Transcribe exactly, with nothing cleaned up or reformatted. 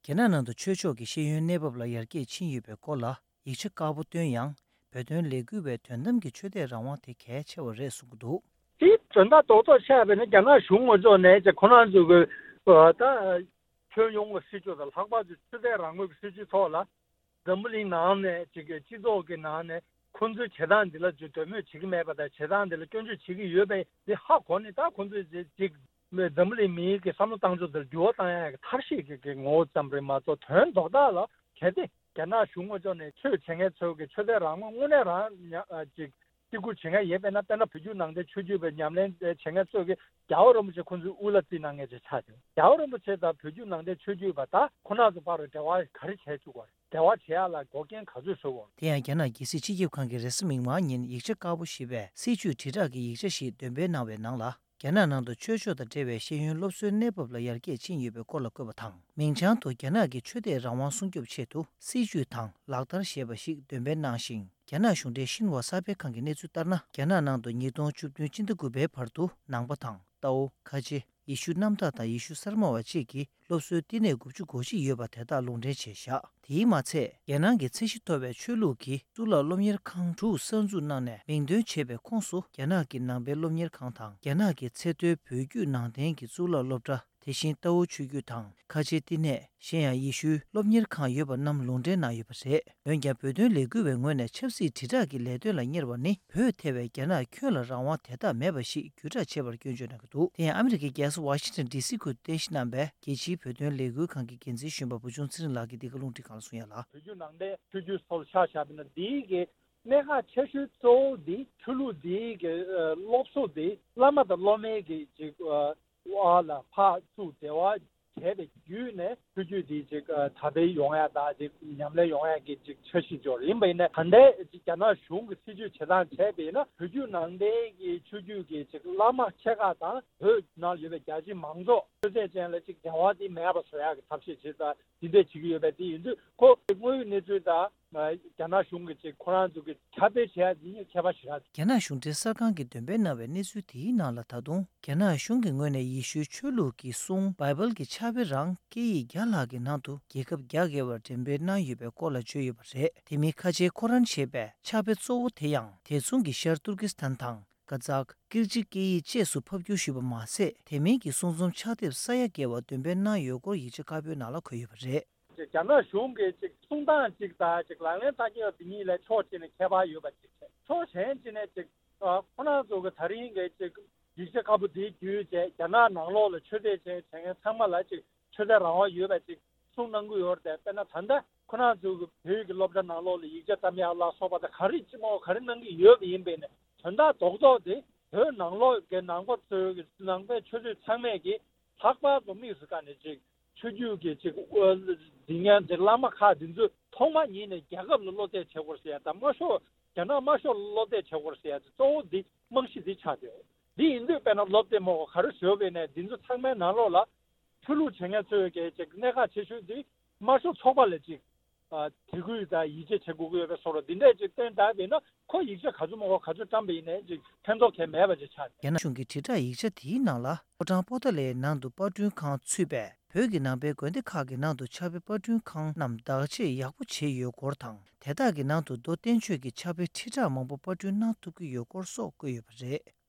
རྒྱ་ནག་ནང་དུ་ཆོས་ཕྱོགས་ཀྱི་ཤེས་ཡོན་གནས་བབ་ལ་ཡར་རྒྱས་ཕྱིན་ཡོད་པའི་སྐོར་ལ་ཡིག་ཆ་དཀར་པོ་བཏོན་ཡང་། བོད་དོན་ལས་འགུལ་བས་དོན་དམ་གྱི་ཆོས་དད་རང་དབང་དེ་གལ་ཆེ་བ་རེད་གསུང་གི་འདུག་དེའི་དོན་དག་རྡོག་རྡོག་བཤད་པ་ཡིན་ན། རྒྱ་ནག་གཞུང་ངོས་ཕྱོགས་ནས་ཀྱི་ཁོ་རང་ཚོ་གི་ད་ཁྱོན་ཡོངས་ཀྱི་སྲིད་བྱུས་དང་། ལྷག་པར་དུ་ཆོས་དད་རང་མོས་ཀྱི་སྲིད་བྱུས་ཐོག་ལ། འཛམ་བུ་གླིང་ནང་ནས་ཅིག་གི་སྤྱི་ཚོགས་ཀྱི་ནང་ནས་ཁོང་ཚོའི་བྱེད་སྟངས་འདི་ལ་ཅིག་འདོད་མོས་བྱེད་ཀྱི་མེད་པ་དང་། བྱེད་སྟངས་འདི་ལ་སྐྱོན་བརྗོད་བྱེད་ཀྱི་ཡོད་པ་འདི་ཧ་གོ་ནས། ད་ཁོང་ཚོས་ཅིག་འཛམ་བུ་གླིང་མིའི་གི་བསམ་བློ་བཏང་ཕྱོགས་འདིར་འགྱུར་བ་བཏང་ཡག་གི་ཐབས་ཤེས་ཀྱི་གི་ངོ་བོ་ཙམ་རེད་མ་གཏོགས། དོན་རྡོག་རྡོག་ལ། གལ་ཏེ་རྒྱ་ནག་གཞུང་ངོས་ཕྱོགས་ནས་ཆོས་བྱེད་མཁན་ཚོ་གི་ཆོས་དད་རང་དབང་དངོས་གནས་རང་ཉ་ཨ་ཅིག་བརྩི་བཀུར་བྱེད་མཁན་ཡིན་པས་ན། དཔེར་ན་བོད་བརྒྱུད་ནང་བསྟན་ཆོས་བརྒྱུད་པའི་ཉམས་ལེན་བྱེད་མཁན་ཚོས་ཀྱི་རྒྱལ་བ་རིན་པོ་ཆེ་ཁོང་ཚོའི་དབུ་བླ་བརྩིས་གནང་མཁན་ཅིག་ཆགས་ཏེ། རྒྱལ་བ་རིན་པོ་ཆེ་དང་བོད་བརྒྱུད་ནང་བསྟན་ཆོས་བརྒྱུད་པ་དག་ཁོ་རང་ཚོ་བར་འབྲེལ་བ་ག་རེ་བྱས་བཅུག་པ་རེད། འབྲེལ་བ་བྱེད་ཡག་ལ་འགོག་རྐྱེན་ག་ཚོད་བཟོས་པ་རེད། དེ་ཡང་རྒྱ་ནག་རྒྱལ་སྲིད་སྤྱི་ཁྱབ་ཁང་གིས་རེས་གཟའ་མིག་དམར་ཉིན་ཡིག་ཆ་དཀར་པོ་ཞེས་པའི་སྲིད་བྱུས་དྲིལ་བསྒྲགས་ཀྱི་ཡིག་ཆ་ཞིག་འདོན་སྤེལ་གནང་བའི་ནང་ལ། རྒྱ་ནག་ནང་དུ་ཆོས་ཕྱོགས་དང་འབྲེལ་བའི་ཤེས་ཡོན་སློབ་གསོའི་གནས་བབ་ལ་ཡར་རྒྱས་ཕྱིན་ཡོད་པའི་སྐོར་ལ་བཀོད་པ་དང་། མིང་བྱང་དུ་རྒྱ་ནག་གི་ཆོས་དད་རང་དབང་སྲུང་སྐྱོབ་ཆེད་དུ་སྲིད་བྱུས་དང་ལག་བསྟར་ཞེས་པ་ཞིག་འདོན་སྤེལ་གནང་ཞིང་། རྒྱ་ནག་གཞུང་འབྲེལ་ཤིན་ཧྭ་གསར་སྤེལ་ཁང་གི་གནས་ཚུལ་ལྟར་ན། རྒྱ་ནག་ནང་དུ་ཉིས་སྟོང་བཅུ་བདུན་སྤྱི་ཟླ་དགུ་པའི་བར་དུ་ནང་པ་དང་། ཏའོ། ཁ་ཆེ། ཡེ་ཤུ་གནམ་བདག་དང་ཡེ་ཤུ་གསར་མ་བ་བཅས་ཀྱི་སློབ་གསོའི་བསྟི་གནས་དགུ་བཅུ་གོ་གཅིག་ཡོད་པ་དེ་དག་ལུང་འདྲེན་བྱས་བཞག་དེའི་མ་ཚད། རྒྱལ་ནང་གི་ཚད་གཞི་མཐོ་བའི་ཆོས་ལུགས་ཀྱི་གཙུག་ལག་སློབ་གཉེར་ཁང་དྲུག་གསར་འཛུགས་གནང་ནས་མིང་འདོན་བྱས་པའི་ཁོངས་སུ། རྒྱ་ནག་གི་ནང་པའི་སློབ་གཉེར་ཁང་དང་། རྒྱ་ནག་གི་ཚད་མཐོའི་བོད་བརྒྱུད་ནང་བསྟན་གྱི་གཙུག་ལག་སློབ་གྲྭ། དེ་བཞིན་ཏའོ་ཆོས་བརྒྱུད་དང་། ཁ་ཆེ་བསྟི་གནས། གཞན་ཡང་ཡེ་ཤུའི་སློབ་གཉེར་ཁང་ཡོད་པ་རྣམས་ལུང་འདྲེན་གནང་ཡོད་པ་རེད། འོན་ཀྱང་། བོད་དོན་ལས་འགུལ་བའི་ངོས་ནས་ཆབ་སྲིད་དྲིལ་བསྒྲགས་ཀྱི་ལས་དོན་ལ་གཉེར་བ་ནི། བོད་ཐེ་བའི་རྒྱ་ནག་ཁྱོན་ལ་རང་དབང་དེ་དག་མེད་པ་ཞིག་བརྒྱུད་བསྒྲགས་བྱས་པར་སྐྱོན་བརྗོད་གནང་གི་འདུག་དེ་ཡང་ཨ་མི་རི་ཀའི་རྒྱལ་ས་ཝ་ཤིང་ཊོན་ཌི་སི་ཁུལ་དུ་རྟེན་གཞི་བསྣམས་པའི་རྒྱལ་སྤྱིའི་བོད་དོན་ལས་འགུལ་ཁང་གི་འགན་འཛིན་གཞོན་པ་བུ་ཆུང་ཚེ་རིང་ལགས་ཀྱིས་འདི་ག་རླུང་འཕྲིན་ཁང་ལ་གསུངས་ཡ་ལ། བོད་བརྒྱུད་ནང་བསྟན་ཆོས་བརྒྱུད་སོགས་ལ་ཆ་བཞག་པ་ཡིན་ན། འདིའི་གི་གནད་འགག་ཆེ་ཤོས་གཙོ་བོ་འདི་ཆོས་ལུགས་འདིའི་གི་ཨ་སློབ་གསོ་འདི་བླ་མ་དང་སློབ་མའི་གི་ཅིག་ཨ་བར་ལ་ཕར་ཚུར་འབྲེལ་བ་བྱས་པའི་བརྒྱུད་ནས། ཆོས་བརྒྱུད་འདི་ཅིག་ཨ་དར་སྤེལ་ཡོང་ཡ་དང་། ཅིག་ཉམས་ལེན་ཡོང་ཡ་གི་ཅིག་འཆར་གཞི་འཇོག་ཡིན་པ་ཡིན་ན། ད་ལྟའི་ཅིག་རྒྱ་ནག་གཞུང་གི་སྲིད་བྱུས་བྱེད་སྟངས་བྱས་པ་ཡིན་ན། བོད་བརྒྱུད་ནང་བསྟན་གྱི་ཆོས་བརྒྱུད་ཀྱི་ཅིག་བླ་མ་ཆེ་ཁག་དང་། བོད་ནང་ཡོད་པའི་རྒྱ་ཆེའི་མང་ཚོགས་ཆོས་དད་ཅན་ལ་ཅིག་འབྲེལ་བ་དེ་མེད་པ་བཟོ་ཡག་གི་ཐབས་ཤེས་བྱེད་ས་འདི་འདྲས་བྱེད་ཀྱི་ཡོད་པ་དེ་ཡིན་དུས། ཁོ་དངོས་ཡོད་གནས་ཚུལ་དང་། ཨ་རྒྱ་ནག་གཞུང་གི་ཅིག་ཁོ་རང་ཚོ་གི་ཁྱབ་སྤེལ་བྱེད་ཡ་འདི་གཉིས་ཁྱད་པར་ཞེ་དྲག་རྒྱ་ནག་གཞུང་འབྲེལ་གསར་ཁང་གིས་འདོན་སྤེལ་གནང་བའི་གནས་ཚུལ་དེའི་ནང་ལ། ད་དུང་རྒྱ་ནག་གཞུང་གི་ངོས་ནས་ཡེ་ཤུའི་ཆོས་ལུགས་ཀྱི་སྲུང་བྷའི་བལ་གྱི་ཕྱག་དཔེ་རང་སྐད་ཡིག་བརྒྱ་ལྷག་གི་ནང་དུ་རྒྱལ་ཁབ་བརྒྱ་བརྒལ་བར་འགྲེམས་སྤེལ་གནང་ཡོད་པའི་སྐོར་ལ་བརྗོད་ཡོད་པ་རེད། དེ་མིན་ཁ་ཆེའི་ཁོ་རན་ཞེས་པའི་ཕྱག་དཔེ་གཙོ་བོ་དེ་ཡང་དེ་མཚུངས་ཀྱི་ཤར་ཏུར་ཀི་སི་ཐན་དང་། ཀ་ཛག། ཀིར་ཅི་སྐད་ཡིག་བཅས་སུ་ཕབ་བསྒྱུར་ཞུས་པ་མ་ཟད། དེ་མིན་གྱི་གསུང་རྩོམ་ཕྱག་དེབ་ས་ཡ་བརྒལ་བ་འདོན་སྤེལ་གནང་ཡོད་སྐོར་ཡིག་ཆ་དཀར་པོའི་ནང་ལ་འཁོད་ཡོད་པ་རེད། རྒྱ་ནག་གཞུང་གི་ཅིག་གསུང་སྟངས་གཅིག་དང་། ཅིག་ལག་ལེན་བསྟར་གྱི་ཡོད་པ་འདི་གཉིས་ལ་ཕྱོགས་གཅིག་ནས་ཁྱད་པར་ཡོད་པ་ཅིག་བྱས། ཕྱོགས་གཞན་གཅིག་ནས་ཅིག་ཨ་ཁོ་རང་ཚོ་གི་ད་རིང་གི་ཅིག་ཡིག་ཆ་དཀར་པོ་འདིའི་བརྒྱུད་བྱས། རྒྱ་ནག་ནང་ལོགས་ལ་ཆོས་དད་བྱས་བྱས་མཁན་ཚང་མ་ལ་ཅིག་ཆོས་དད་རང་དབང་ཡོད་པ་ཅིག་གསུང་གནང་གི་ཡོད་རེད་དེ། དཔེར་ན་ད་ལྟ་ཁོ་རང་ཚོ་གི་བོད་ཀྱི་སློབ་གྲྭ་ནང་ལོགས་ལ་ཡིག་ཆ་བཀྲམ་ཡག་ལ་སོགས་པ་དང་། ག་རེ་ཅི་མོ་ག་རེ་གནང་གི་ཡོད་པ་ཡིན་པས་ན། དོན་དག་རྡོག་རྡོག་དེ་བོད་ནང་ལོགས་ཀྱི་ནང་པ་ཚོའི་གི་ནང་པའི་ཆོས་རྩེད་ཚང་མས་ཀྱི་ལྷག་པར་དུ་དམིགས་སུ་བཀར་ནས་ཅིག་ཆོས་བརྒྱུད་ཀྱི་ཅིག་ཨ་འཛིན་མཁན་ཅིག་བླ་མ་ཁག་འདི་ཚོས་ཐོག་མ་ཉིད་ནས་རྒྱལ་ཁབ་ལ་བློ་གཏད་བྱེད་དགོས་ཟེར་ཡ་དང་། མ་ཤོར་རྒྱ་ནག་མ་ཤོར་ལ་བློ་གཏད་བྱེད་དགོས་ཟེར་ཡ་དེ་གཙོ་བོ་འདི་རྨང་གཞི་འདི་ཆགས་ཡོད། འདི་ཡིན་དུས་དཔེར་ན་སློབ་དེབ་མང་པོ་ག་རེ་བཟོས་པ་ཡིན་ནའི། འདི་ཚོ་ཚང་མའི་ནང་ལོགས་ལ་ཆོས་ལུགས་བྱེད་མཁན་ཚོའི་གི་ཅིག་གནད་འགག་ཆེ་ཤོས་འདི་མ་ཤོར་ཚོགས་པ་ལ་ཅིག་ཨ་དད་གུས་དང་ཡིད་ཆེས་བྱེད་དགོས་ཀྱི་ཡོད་པའི་བཟོ་འདྲ་འདི་འདྲས་ཅིག་སྟོན་བསྡད་པ་ཡིན་ན། ཁོ་ཡིག་ཆ་ག་ཚོད་མང་པོ་ག་ཚོད་བཀྲམ་པ་ཡིན་ནའི་ཅིག་ཕན་ཐོགས་གང་ཡང་མེད་པ་ཅིག་ཆགས། རྒྱ་ནག་གཞུང་གི་དྲིལ་བསྒྲགས་ཡིག་ཆ་དེའི་ནང་ལ། ཕོ་བྲང་པོ་ཏཱ་ལའི་ནང་དུ་པར་སྐྲུན་ཁང་ཚུད་པས། བོད་ཀྱི་ནང་པའི་དགོན་སྡེ་ཁག་གི་ནང་དུ་ཕྱག་དཔེ་པར་སྐྲུན་ཁང་རྣམས་བདག་གཅེས་ཡག་པོ་བྱས་ཡོད་སྐོར་དང་། དེ་དག་གི་ནང་དུ་མདོ་བསྟན་བཅོས་ཀྱི་ཕྱག་དཔེ་ཁྲི་ཕྲག་མང་པོ་པར་སྐྲུན་གནང་ཐུབ་ཀྱི་ཡོད་སྐོར་སོགས་བཀོད་ཡོད་པ་རེད།